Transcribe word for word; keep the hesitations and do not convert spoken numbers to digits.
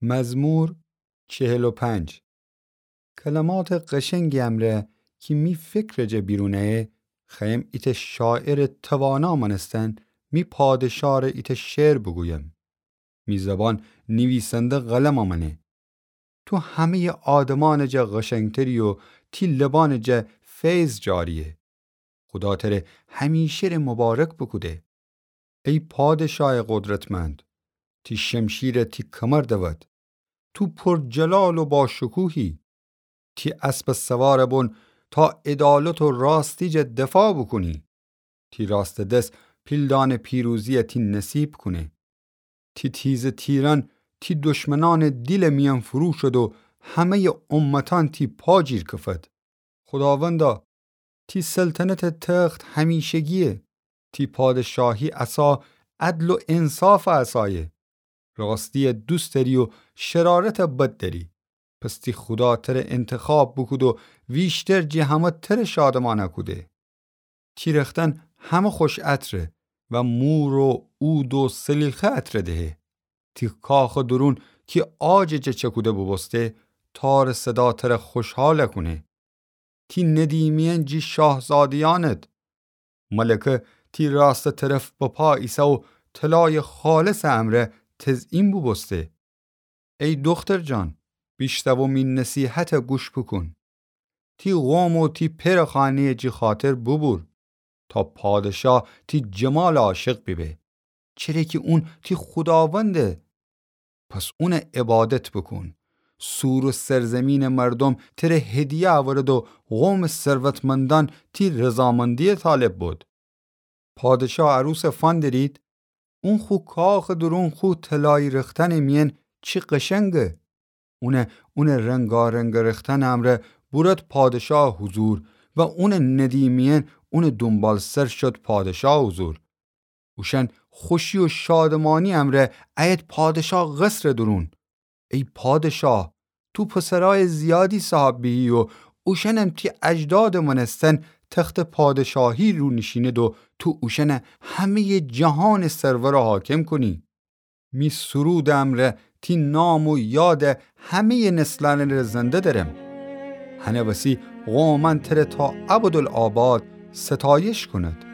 مزمور چهل و پنج. کلماتٚ قشنگی امرأ کی می فکرٚ جا بیرون ایه، خوأیم ایتأ شاعرٚ توانا مأنستن می پادشاه‌ره ایتأ شعر بوگویم. می زبان نیویسنده قلمَ مأنه. تو همه‌یٚ آدمأنٚ جا قشنگتری و تی لبأنٚ جا فیض جاریه. خودا تره همیشه‌ره مبارک بوکوده. ای پادشایٚ قدرتمند، تی شمشیر تی کمر دود. تو پر جلال و باشکوهی. تی اسبٚ سوارٚ بون تا عدالت و راستی جا دفاع بوکونی. تی راستٚ دس پیلدأنٚ پیروزی تی نصیب کونه. تی تیزٚ تیرأن تی دشمنأنٚ دیلٚ میأن فروشود و همه‌یٚ امتأن تی پا جیر کفد. خوداوندا، تی سلطنتٚ تخت همیشگیه. تی پادشاهی عصا عدل و انصافٚ عصایه. راستی دوست دأری و شرارت بد دأری. پس تی خودا تره انتخاب بوکود و ویشتر جٚه همه تره شادمأن کوده. تی رختأن همه خوش عطره و مور و عود و سلیخه عطره دهه. تی کاخٚ دورون کی عاجٚ جا چکوده بوبوسته، تارٚ صدا تره خوشحال کونه. تی ندیمیأن جی شاهزاده‌یأنت. ملکه تی راستٚ طرف بپا ایسه و طلایٚ خالصٚ امرأ تزئین بوبوسته. ای دوختر جان، بیشتو و می نصیحت گوش بوکون. تی قوم و تی پئرٚ خانه‌یٚ جی خاطر بوبور، تا پادشاه تی جمال عاشق بیبه، چره کی اون تی خوداونده. پس اون عبادت بوکون. سور و سرزمینٚ مردوم تره هدیه اورد و قومٚ ثروتمندأن تی رضامندی طالب بود. پادشاه عروس فندرید، اون خو کاخٚ دورون خو طلایی رختأنٚ میأن چی قشنگه. اون، اونٚ رنگارنگٚ رختأنٚ امرأ بورد پادشاه حضور و اونٚ ندیمیأن اونٚ دونبالسر شد پادشاه حضور. اوشأن خوشی و شادمانی امرأ اید پادشاه قصرٚ دورون. ای پادشاه، تو پسرأیٚ زیادی صاحب بیهی و اوشأنم تی اجدادٚ مأنستن تختٚ پادشاهی رو نیشینید و تو اوشأن همه‌یٚ جهانٚ سرور حاکم کونی. می سرودٚ امرأ تی نام و یاد همه‌یٚ نسلأنٚ ره زنده درم. هنٚ وسی قومأن تره تا ابدالآباد ستایش کونید.